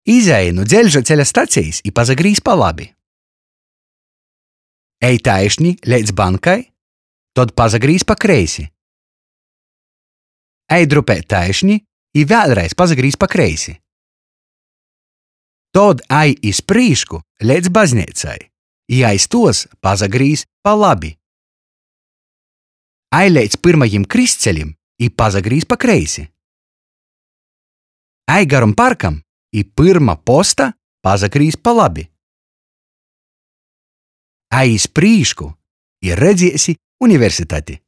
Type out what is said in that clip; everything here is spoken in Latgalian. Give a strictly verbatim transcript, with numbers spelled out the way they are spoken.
Izej nu dzeļžaceļa stacejis i pasagrīz pa labi. Ej taišni leidz bankai, tod pasagrīz pa kreisi. Ej drupeit taišni i vēļreiz pasagrīz pa kreisi. Tod ej iz prīšku leidz bazneicai i aiz tuos pasagrīz pa labi. Ej leidz pyrmajim krystcelim i pasagrīz pa kreisi. Ej garum parkam i pyrma posta pasagrīz pa labi. Ej iz prīšku i redziesi universitati.